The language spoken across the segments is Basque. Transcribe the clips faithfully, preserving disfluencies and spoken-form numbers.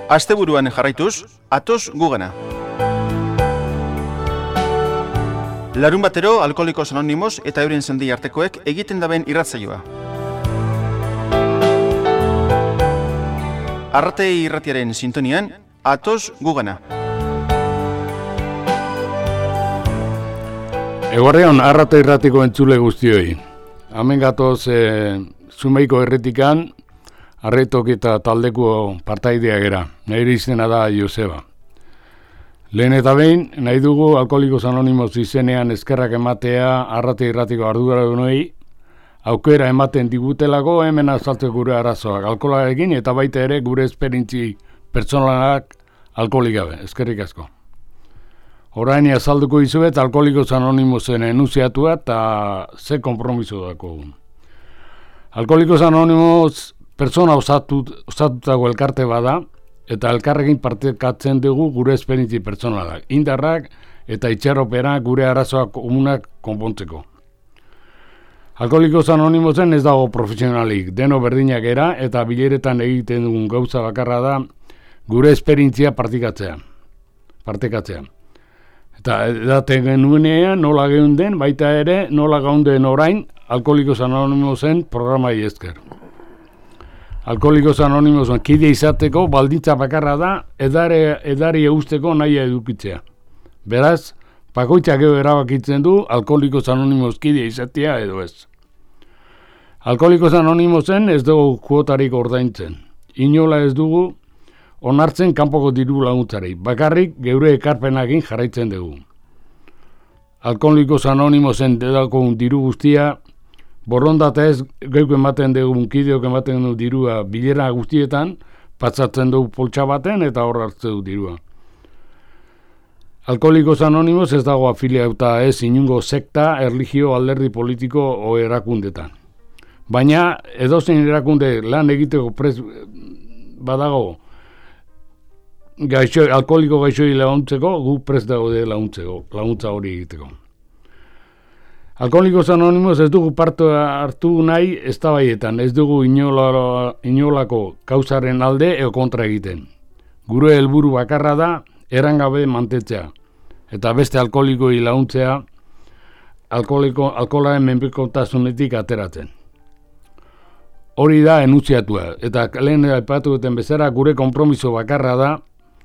Asteburuan jarraituz, atoz gugana. Larun batero, Alkoholikos Anonimos eta euren sendi artekoek egiten daben irratzaioa. Arrate irratiaren sintonian, atoz gugana. Eguarrean, arrate irratiko entzule guztioi. Hemen gatoz, e, Zumaiko erretikan, Arretok eta taldeko partaidea gera. Nire izena da Joseba. Lehen eta behin, nahi dugu Alkoholikos Anonimos izenean eskerrak ematea arrate irratiko arduradunei, aukera ematen digutelako hemen azaltzeko gure arazoak alkoholarekin eta baita ere gure esperintzi pertsonalak alkoholik gabe. Eskerrik asko. Orain azalduko izuet Alkoholikos Anonimosen enuziatua eta ze konpromiso dako. Alkoholikos Anonimos pertsona osatutako elkarte bada, eta elkarrekin partekatzen dugu gure esperintzi pertsonalak, indarrak eta itxaropera gure arazoak komunak konpontzeko. Alkoholikos Anonimosen ez dago profesionalik, deno berdinak era eta bileretan egiten dugun gauza bakarra da gure esperintzia partikatzea, partekatzea. Eta edaten genuenean nola geunden, baita ere nola gaunden orain Alkoholikos Anonimosen programai esker. Alkoholikos Anonimosen kide izateko baldintza bakarra da edare, edari eusteko nahi edukitzea. Beraz, bakoitzak gero erabakitzen du Alkoholikos Anonimos kide izatea edo ez. Alkoholikos Anonimosen ez dugu kuotarik ordaintzen. Inola ez dugu onartzen kanpoko diru laguntzari. Bakarrik geure ekarpenakin jarraitzen dugu. Alkoholikos Anonimosen dedako diru guztia borrondata ez geuk ematen dugu, kideok ematen dugu dirua bilera guztietan, patsatzen dugu poltsa baten eta hor hartzen dugu dirua. Alkoholikos Anonimos ez dago afiliauta ez inungo sekta, erlijio, alderdi politiko o erakundetan. Baina edozein erakunde lan egiteko prez badago gaixo, alkoholiko gaixoi laguntzeko, gu prez dago de laguntzeko, laguntza hori egiteko. Alkoholikos Anonimos ez dugu parte hartu nahi eztabaietan, ez dugu inola, inolako kausaren alde eo kontra egiten. Gure helburu bakarra da erangabe mantetzea, eta beste alkoholikoi laguntzea alkoholiko, alkoholaren menpekotasunetik ateratzen. Hori da enuntziatua, eta lehen aipatu duten bezala gure konpromiso bakarra da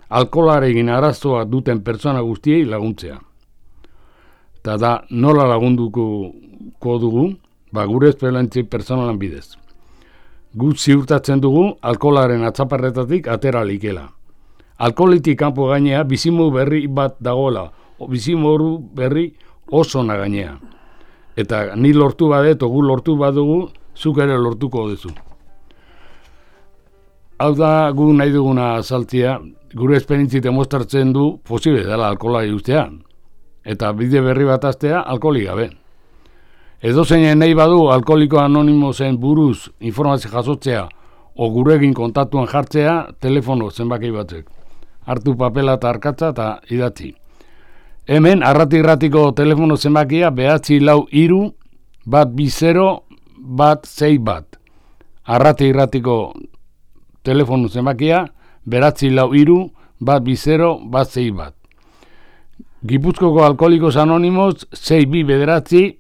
alkoholarekin arazoa duten pertsona guztiei laguntzea. Eta da, nola lagunduko dugu, ba, gure esperantzi personalan bidez. Gu ziurtatzen dugu alkoholaren atzaparretatik atera likela. Alkoholitik kanpo gainea bizimu berri bat dagoela, bizimu berri oso na gainea. Eta ni lortu badet, gu lortu badugu, zuk ere lortuko duzu. Hau da, gu nahi duguna azaltzea, gure esperintzi demostratzen du posible dela alkoholari ustea. Eta bide berri bat aztea alkoholik gabe. Edo zeinen nahi badu Alkoholiko Anonimosen buruz informazio jasotzea o gurekin kontatuan jartzea telefono zenbaki batzek. Hartu papela eta arkatza eta idatzi. Hemen arrati irratiko telefono zenbakia behatzi lau iru bat bizero bat zei bat. Arrati irratiko telefono zenbakia behatzi lau iru bat bizero bat zei bat. Gipuzkoko Alkoholikos Anonimos sei bi bederatzi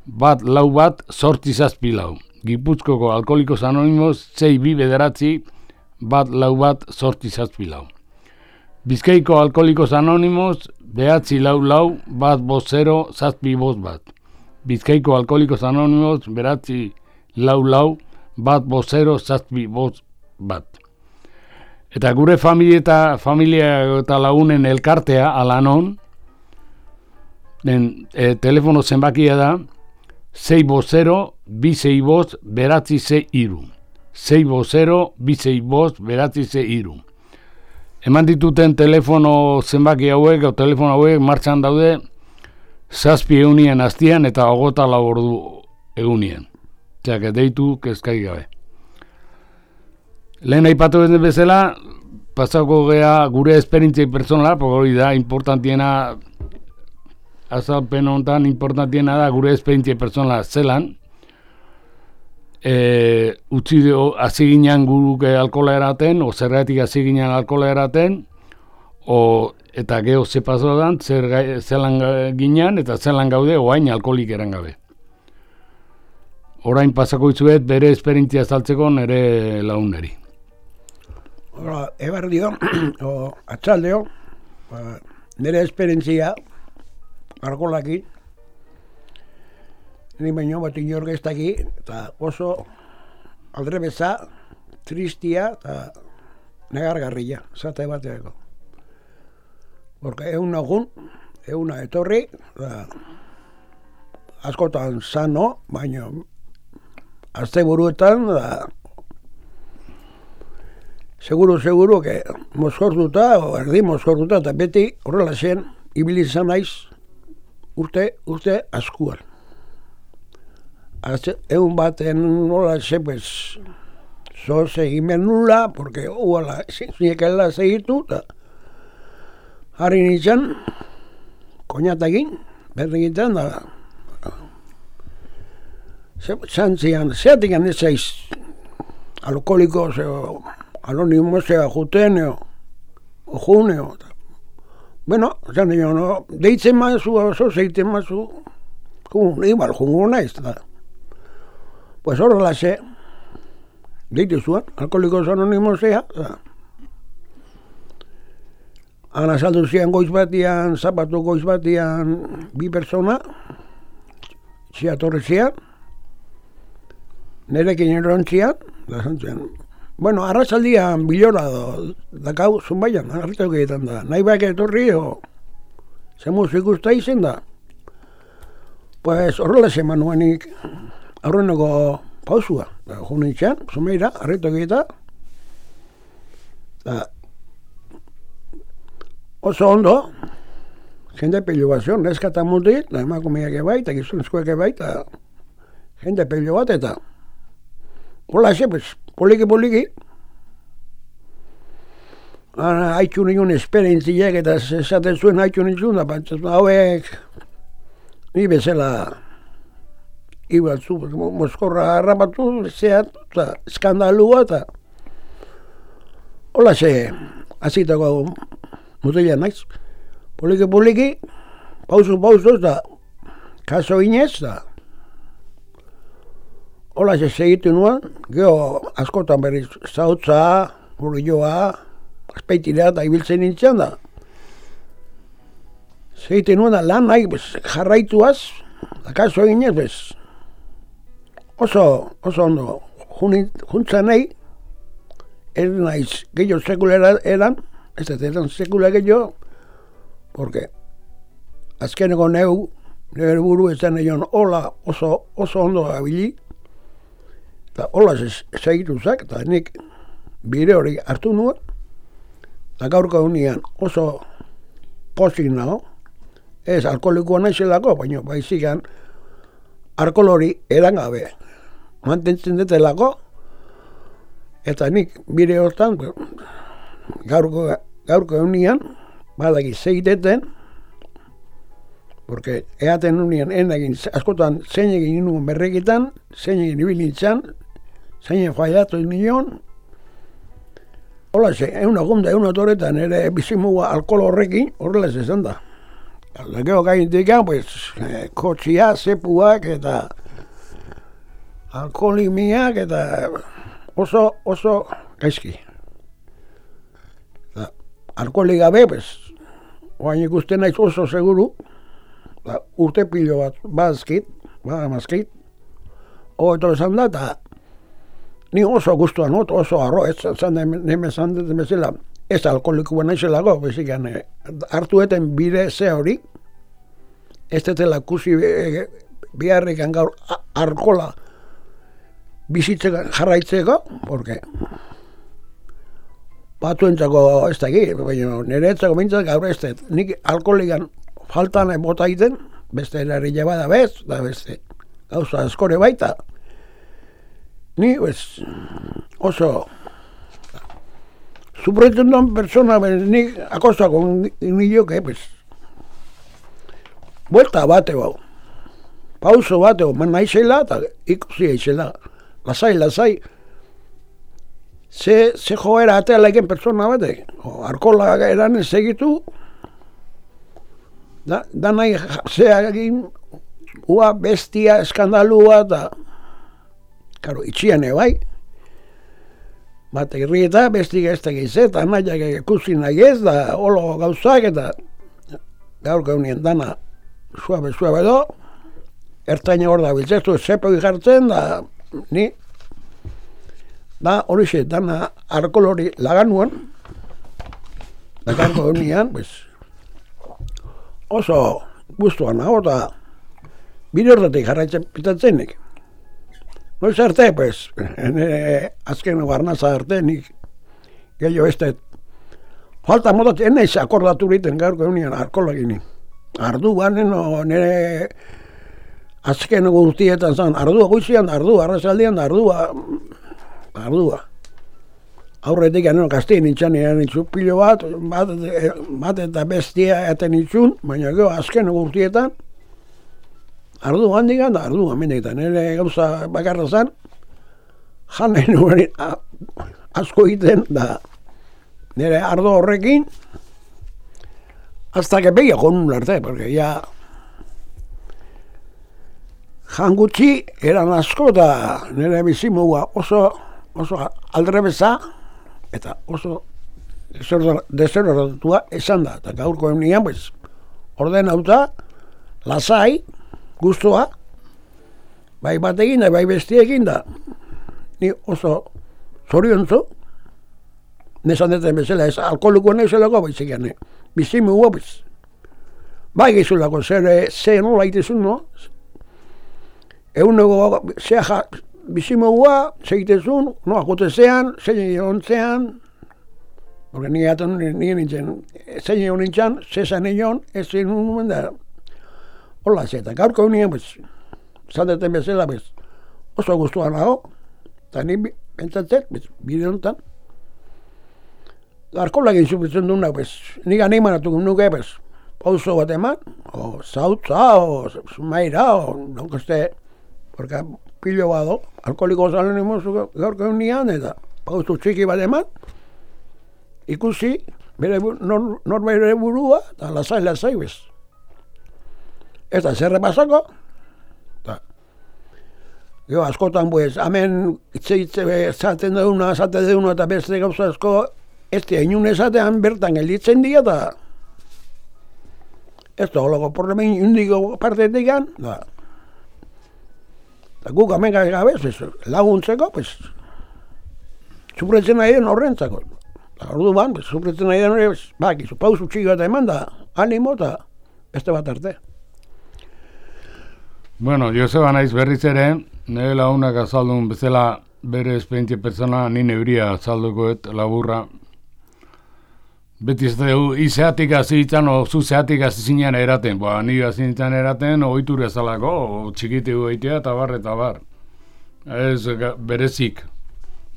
bat lau bat sortzi zazpi lau. Gipuzkoko Alkoholikos Anonimos sei bi bederatzi bat lau bat sortzi zazpi lau. Bizkaiko Alkoholikos Anonimos behatzi lau lau bat bost zero zazpi bost bat. Bizkaiko Alkoholikos Anonimos behatzi lau lau bat bost zero zazpi bost bat. Eta gure familia eta, familia eta lagunen elkartea alanon, den e, telefono zenbakia da sei bost zero bi sei bost beratzi ze iru. sei bost zero bi sei bost beratzi ze iru. Eman dituten telefono zenbaki hauek, o telefono hauek martxan daude zazpi egunien hastian eta hogota lau ordu egunien. Txak, deitu kezkai gabe. Lehen aipatu den bezala, pasako gea gure esperintzia personala, hori da, importantiena, azalpen honetan, importantiena da gure esperintzia personala zelan, e, utzi hasi ginen guruke alkola eraten, o zergatik hasi ginen alkola eraten, o, eta geho ze pasodan, zer gai, zelan ginen, eta zelan gaude, oain alkolik eran gabe. Orain pasako itzuet bere esperientzia saltzeko nire launeri. Hora, ebar dio, o atxaldeo, ba, nire esperientzia alkolakin, ni baino bat inork ez daki, eta oso aldrebeza, tristia eta negargarria, zate bateako. Porque egun agun, eguna etorri, da, askotan sano, baino azte buruetan, da, seguro, seguro, que mozkortuta, o erdi mozkortuta, eta beti horrela zen, ibili izan naiz, urte, urte askuan. Egun baten nola ze, pues, zo segimen nula, porque uala, zinekela segitu, eta harri nintzen, koñatakin, berri egiten, da, zantzian, zeatik ez zaiz, alkoholiko, zeo, anonimo zea juten, o juneo, bueno, zan nio, no, deitzen mazu, oso zeiten mazu, kun, igual, jungo naiz, da. Pues horrela ze, deitu zuen, alkoholikos anonimo zea, da. Ana saldu zian goiz batian, zapatu goiz batian, bi persona, zia torre zian, nerekin erontzian, da zantzian. Bueno, arrasaldian bilora do, dakau zunbaian, hartu egiten da. Nahi bak etorri, o, zemuz ikusta izen da. Pues horrela zeman nuenik, aurreneko pausua. Da, junitxan, zunbaira, hartu egiten. Da, oso ondo, jende pilo bat zion, neskata mutit, da emakumeak ebai, eta gizonezkoak ebai, eta jende pilo bat, eta hola ze, pues, poliki poliki, haitxun nion esperientziek, eta esaten zuen haitxun nion, da pantzazun hauek, ni bezala, ibatzu, mozkorra harrapatu, zeat, eta eskandalua, eta hola ze, azitako mutila naiz, poliki poliki, pausu pausu, eta kaso inez, da, hola ze segitu nuen, geho askotan berriz zautza, burioa, azpeitira eta ibiltzen nintzen da. Segitu nuen da lan nahi bez, jarraituaz, da kaso eginez bez. Oso, oso ondo, juntzan nahi, ez naiz gehiago sekulera eran, ez ez eran sekula gehiago, porque azkeneko neu, nire buru ez den egon hola oso, oso ondo abili, eta hola segitu zak, eta nik bire hori hartu nuen, eta gaurko unian oso pozik nago, ez alkoholikoa naizelako, baina baizikan alkohol hori eran gabe, mantentzen detelako, eta nik bire hortan, gaurko, gaurko unian, badaki segiteten, porque eaten unian enagin, askotan zein egin nuen berrekitan, zein egin ibilintzan, zein fallatu nion, hola ze, egun agunda, egun otoretan, ere bizimua alkohol horrekin, horrela zezan da. Gero gaintik, pues, eh, kotxia, zepuak, eta alkoholimiak, eta oso, oso gaizki. Alkoholik gabe, pues, oain ikusten naiz oso seguru, da, urte pilo bat bazkit, badamazkit, hogeto esan da, eta ni oso guztuan, oso arro, ez zan neme zan dut bezala, ez alkoholikoa naizelako, bezikan, hartu eten bide ze hori, ez detela kusi biharrikan gaur alkohola bizitzeko jarraitzeko, porque batuentzako ez da egin, baina niretzako bintzak gaur ez dut, nik alkoholikan faltan bota egiten, beste erari bada bez, da beste gauza askore baita. Ni, pues, oso sufritzen duen persona, nik akostako nioke, pues, buelta bate bau, pauso bate bau, man naizela eta ikusi aizela. lasai, lasai, ze, ze joera ateala eken pertsona batek, alkola eran segitu, da, da nahi zeagin, ua bestia, eskandalua, eta, karo, itxian bai, bat irrieta, bestik ez tegiz, eta nahiak ikusi nahi ez, da, olo gauzak, eta gaur gaunien dana, suabe, suabe do, ertaina hor da biltzestu, zepo jartzen, da, ni, da, hori xe, dana alkohol hori laganuan, da garko gaunian, pues, oso guztuan hau, eta bide horretik jarraitzen pitatzenik. Noiz arte, pues, nire azken barnaza arte, nik gehiago ez da, falta modat, enaiz akordatu riten gaurko eunian alkoholagini. Arduan, no, nire azken gurtietan zan, ardua guizian, ardua, arrazaldian, ardua, ardua. Aurretik anero kastin nintzen nire nintzu pilo bat, bat, bat eta bestia eten nintzun, baina gero azken gurtietan, ardu handikan da, ardu amendetan, nire gauza bakarra zan, janen nuen asko egiten da, nire ardo horrekin, hasta que begia con un arte, porque ya jan gutxi eran asko da nire bizimua oso, oso aldrebeza, eta oso deserroratua esan da, eta gaurko eunian, pues, ordenauta, lasai, guztua, bai batekin da, bai bestiekin da, ni oso zoriontzu, nesan deten bezala, ez alkoholikoa nezelako baizik gane, bizimu guapiz. Bai gizulako, zer, zer nola itezun, no? Egunego, zea bizimu gua, segitezun, no, akotezean, zein ontzean, porque ni gaten nien nintzen, zein egon nintzen, zezan egon, ez zein nuen da, hola zeta, gaurko nien, pues, zandeten bezala, pues, oso guztuan nago, eta ni pentsatzen, pues, bide honetan, alkoholak insufitzen duna, pues, nik animatu nuke, pues, pauso bat eman, o zautza, o zumaira, o donkoste, porque pilo bado, alkoholiko zalen imozu gaurko nian, eta pauso txiki bat eman, ikusi, bere, nor, nor bere burua, eta lasai, lasai, bez. Eta zerre pasako, eta, jo, askotan, pues, hemen itze-itze zaten deuna, zate deuna, eta beste gauza asko, ez da, inun esatean bertan gelditzen dira, eta ez da, holako porremen indiko partetik gan, da, eta guk hemen gabe, laguntzeko, pues, sufretzen nahi den horrentzako. Ordu ban, pues, sufretzen nahi den hori, bak, izu pausu txiki bat eman da, animo eta beste bat arte. Bueno, Joseba naiz berriz ere, nire lagunak azaldun bezala bere esperientzia pertsona, ni neuria azaldukoet laburra. Beti ez dugu, izeatik azitzen, o zuzeatik azizinean eraten. Ba, ni azizinean eraten, oitura ezalako, o txikitegu eitea, eta bar, eta bar. Ez berezik.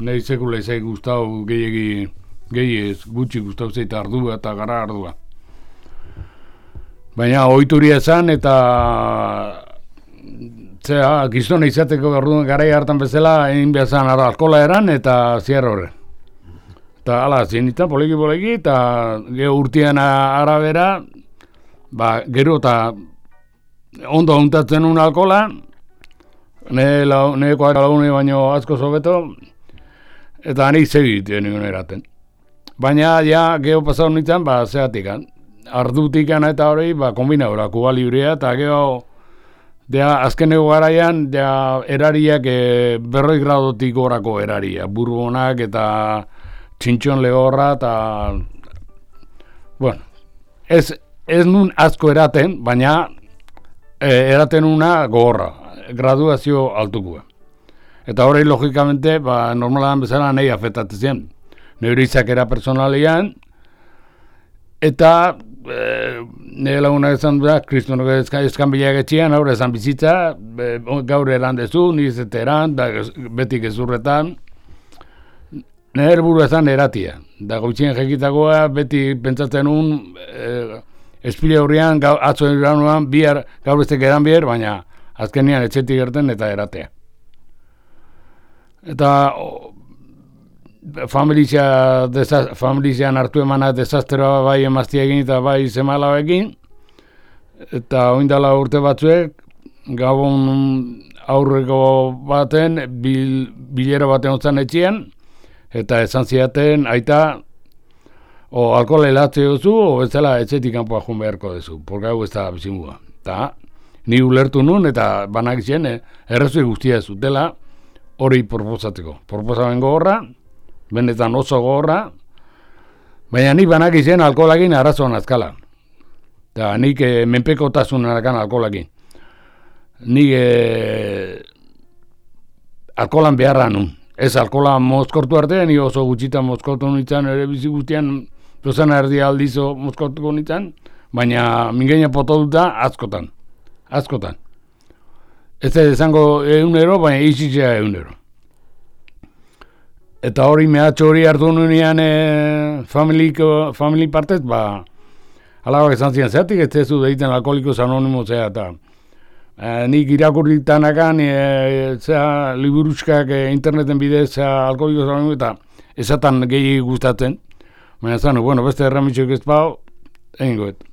Nahi sekula izai guztau gehiagi, gehiez, gutxi guztau zeit ardua eta gara ardua. Baina oituria esan eta zera, gizona izateko garai hartan bezala, egin behazan alkola eran eta ziar horre. Eta ala, zinita, poliki-poliki, eta geho urtean arabera, ba, gero eta ondo untatzen un alkola, nahiko lagune baino asko sobeto, eta nik segituen egun eraten. Baina, ja, geho pasau nintzen, ba, zeatikan, ardutikan eta hori, ba, kombinaura, Kuba Librea, eta geho, dea, azkeneko garaian, dea, erariak e, berroi gradotik gorako eraria, burbonak eta txintxon lehorra, eta, bueno, ez, ez nun asko eraten, baina e, eraten una gogorra, graduazio altukua. Eta hori, logikamente, ba, normalan bezala nahi afektatzen. Neure izakera personalian, eta e, nire laguna ezan da, kristonok ezkan bilak etxian, haur ezan bizitza, e, gaur eran dezu, niz eta eran, da, betik ezurretan, nire buru ezan eratia. Da goitzien jekitakoa, beti pentsatzen un, e, espile horrean, atzo eranuan, bihar, gaur bestek eran bihar, baina azkenian etxetik gerten eta eratea. eta o, familia desa, familian hartu emana desastroa bai emaztiekin eta bai semalabekin, eta oindala urte batzuek, gabon aurreko baten, bil, bilera baten otzan etxean, eta esan ziaten, aita, o alkohola helatze duzu, o bezala etxetik kanpoa joan beharko duzu, porque hau ez da bizimua. Eta ni ulertu nun, eta banak izan, eh, errezue guztia zutela, hori proposatzeko. Proposamen gogorra, benetan oso gogorra, baina nik banak izan alkoholakin arazoan azkala. Eta nik eh, menpekotasun arakan alkoholakin. Nik eh, alkoholan beharra nun. Ez alkohola mozkortu arte, ni oso gutxitan mozkortu nintzen, ere bizi guztian dozena erdi aldizo mozkortuko nintzen, baina mingeina potoluta askotan. Askotan. Ez da izango egunero, baina izitzea egunero. Eta hori mehatxo hori hartu nunean e, familiko, family partez, ba, alabak esan zian, zeatik ez zezu deiten alkoholikos anonimos zea, eta E, nik irakurritanakan e, zea liburuzkak e, interneten bidez zea alkoholikos anonimos eta esatan gehi gustatzen. Baina zan, bueno, beste erramitxoik ez pau, egin goet.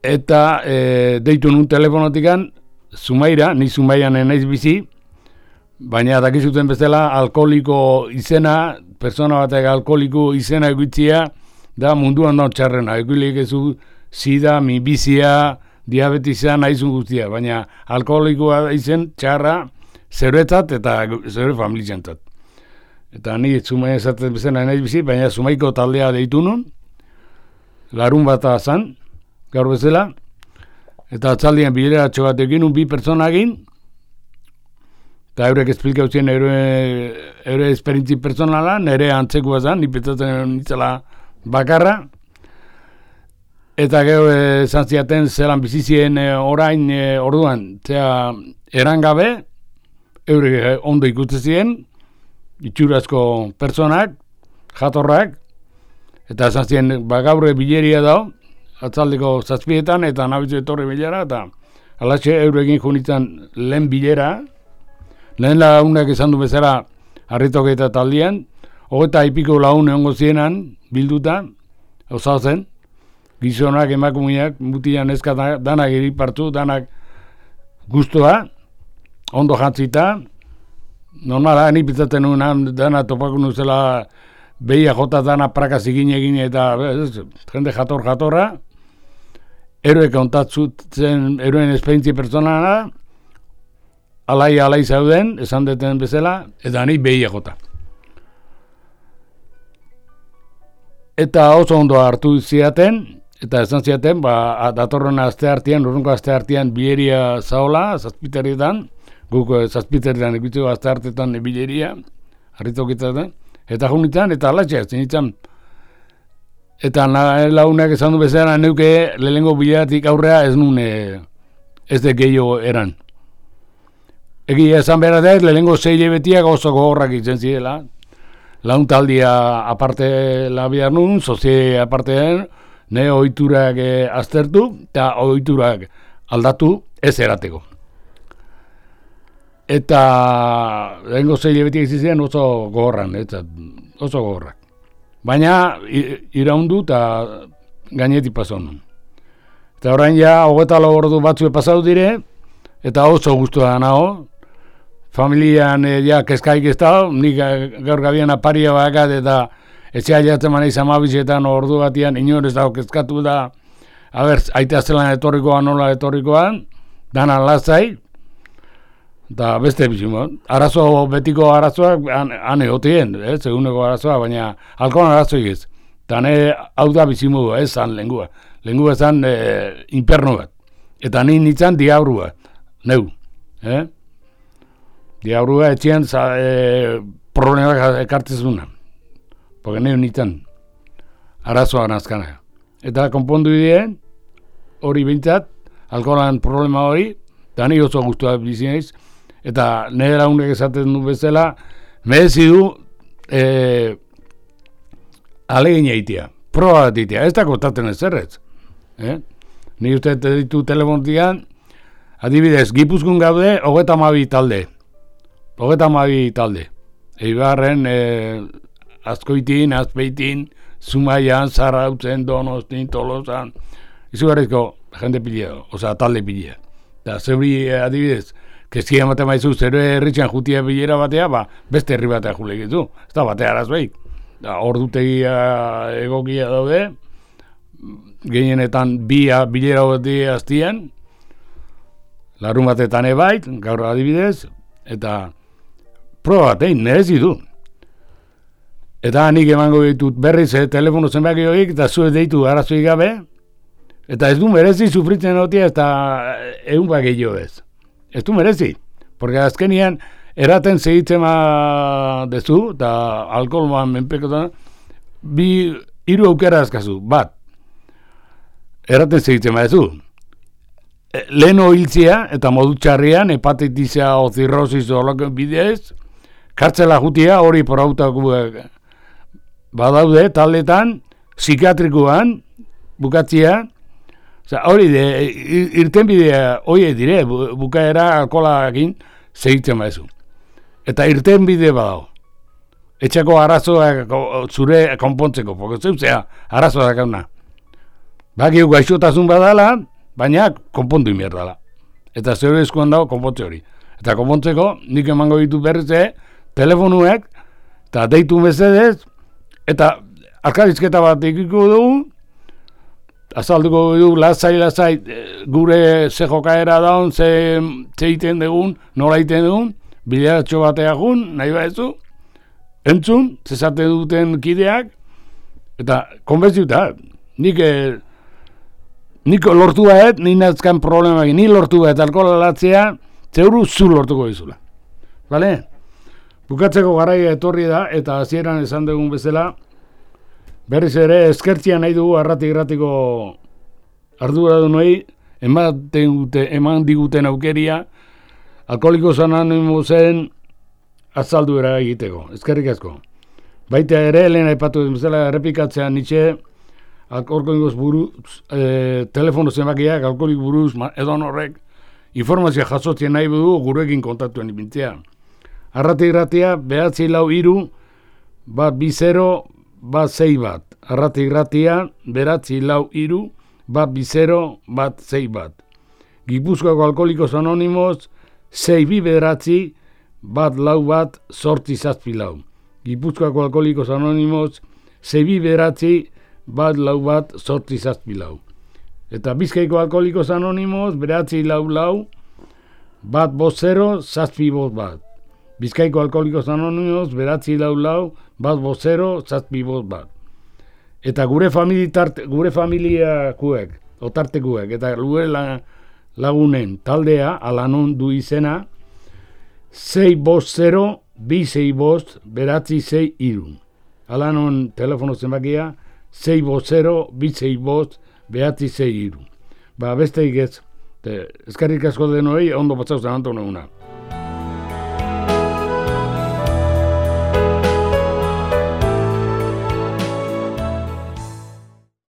Eta e, deitu nun telefonotikan, Zumaira, ni Zumairan naiz bizi, baina dakizuten bezala alkoholiko izena, persona batek alkoholiko izena egitzia, da munduan da txarrena. Eguilik ezu sida, minbizia, diabetisa nahizun guztia, baina alkoholikoa izen txarra zeuretzat eta zeure familizentzat. Eta ni Zumaia esaten bezala naiz bizi, baina Zumaiko taldea deitu nun, larun bata zan, gaur bezala, eta atzaldian bilera bat egin un bi personagin, eta eurek esplikau zien eure, eure esperintzi personala, nire antzekoa zan, nipetzatzen nitzela bakarra, eta gero esan ziaten zelan bizizien e, orain e, orduan, zera erangabe, eurek e, ondo ikutzen ziren, itxurazko personak, jatorrak, eta esan ziren, ba, gaurre bileria dao, atzaldeko zazpietan, eta nabitzu etorri bilera, eta alatxe eurekin junitzen lehen bilera, lehen launak esan du bezala harritok eta taldian, hogeta ipiko laun egongo zienan, bilduta, osau zen, gizonak, emakumeak, mutian ezka danak iripartu, danak guztua, ondo jantzita, normala, ni pitzaten nuen, dana topako nuzela, behia jota dana prakaz egin egin, eta ez, jende jator jatorra, eroek ontatzutzen, eroen esperientzi personala, alai alai zauden, esan deten bezala, eta ni behia jota. Eta oso ondo hartu ziaten, eta esan ziaten, ba, datorren aste artean, urrunko aste artean bileria zaola, zazpiterrietan, guk zazpiterrietan ikutzeko aste artetan bileria, harritokitaten, eta junitzen, eta alatxea, zinitzen. Eta launak esan du bezala, neuke lehengo bileratik aurrea ez nun, ez de gehiago eran. Egia esan behar da ez, lehengo zei lebetiak oso gogorrak izen zirela, laun taldia aparte labiar nun, sozie aparte den, ne ohiturak e, aztertu eta ohiturak aldatu ez erateko. Eta lehengo zei lebetiak izizien oso gogorran, eta oso gogorrak. Baina iraundu eta gainetik pasan nun. Eta orain ja, hogeta lau ordu batzue pasau dire, eta oso guztua nago. Familian e, ja keskaik ez da, nik gaur gabian aparia bakat eta etxea jatzen maneiz amabizetan ordu batian inorez dago kezkatu da, haber, aita zelan etorrikoa, nola etorrikoan, dana lazai, eta beste bizimo. Arazo, betiko arazoak, han egotien, ez, eguneko arazoa, baina alkoan arazoik ez. Eta ne, hau da bizimo, ez zan lengua. Lengua zan e, inperno bat. Eta ni nintzen diabrua, neu, eh? Diabrua etxean e, problemak ekartzezuna. Porque neu nintzen arazoa nazkana. Eta konpondu ideen, hori bintzat, alkoholan problema hori, eta ni oso guztua bizineiz, eta nire launek esaten du bezala, merezi du e, alegin eitea, proba bat eitea, ez da kostatzen ez errez. Eh? Ni uste ditu telefontian, adibidez, Gipuzkoan gaude, hogeta hamabi talde. hogeta hamabi talde. Eibarren, e, Azkoitin, Azpeitin, Zumaian, Zarautzen, Donostin, Tolosan, izugarrizko jende pilea, oza, talde pilea. Eta zeuri adibidez, keskia ematen maizu, zero herritxan jutia bilera batea, ba, beste herri batea julekizu. Ez da batea arazbeik. Ordutegia egokia daude, gehienetan bi bilera batea aztien, larun batetan ebait, gaur adibidez, eta proba bat, egin, nerezi du. Eta nik emango ditut berriz eh, telefono zenbaki horiek, eta zuez deitu arazoik gabe, eta ez du merezi sufritzen hotia, eta egun bat gehiago ez. Ez du merezi, porque azkenian eraten segitzen ma dezu, eta alkoholman menpekotan, bi, hiru aukera azkazu, bat, eraten segitzen ma dezu. Leheno hiltzea, eta modu txarrian, hepatitisa o zirrosis o loko bidez, kartzela jutia hori porautako badaude, taldetan, psikiatrikoan, bukatzia, oza, hori de, irten bidea, hori dire, bukaera alkoholakin segitzen maizu. Eta irten bide badau. Etxako arazoak zure konpontzeko, porque zeuzea arazoak dauna. Bakiu gaixotasun badala, baina konpontu inbierdala. Eta zure eskuan dago konpontze hori. Eta konpontzeko, nik emango ditu berrize, telefonuek, eta deitu mesedez, eta alkarizketa bat ikiko dugu, azalduko dugu, lasai, lasai, gure ze jokaera daun, ze, ze iten dugun, nola iten dugun, bideratxo batea jun, nahi baezu, entzun, zezate duten kideak, eta konbentziuta, nik, nik lortu baet, nik nazkan problemak, ni lortu baet alkohola latzea, zeuru zu lortuko dizula. Bale? Bukatzeko garaia etorri da, eta hasieran esan dugun bezala, berriz ere eskertzia nahi dugu arrati-gratiko arduradunei, eman, eman diguten aukeria, Alkoholikos Anonimosen azalduera egiteko. Eskerrik asko. Baita ere, lehen aipatu den bezala errepikatzea nitxe, alkoholikos buruz, e, telefono zenbakiak, alkoholik buruz, edon horrek, informazioa jasotzen nahi du gurekin kontaktuen ipintzea. Arrati-gratia, behatzi lau iru, bat bi zero, bat zei bat. Arrati-gratia, behatzi lau iru, bat bi zero, bat zei bat. Gipuzkoako Alkoholikos Anonimos, zei bi bederatzi, bat lau bat, sortzi zazpi lau. Gipuzkoako Alkoholikos Anonimos, zei bi bederatzi, bat lau bat, sortzi zazpi lau. Eta Bizkaiko Alkoholikos Anonimos, beratzi lau lau, bat bost zero, zazpi bost bat. Bizkaiko Alkoholikos Anonimos, beratzi lau lau, bat bost zero, zazpi bost bat. Eta gure familia, gure familiakuek, otartekuek, eta gure lagunen taldea, alanon du izena, sei bost zero, bi sei bost, beratzi sei iru. Alanon telefono zenbakia, sei bost zero, bi sei bost, behatzi zei iru. Ba, besteik ez, eskerrik asko denoi, ondo batzauzen antoneguna.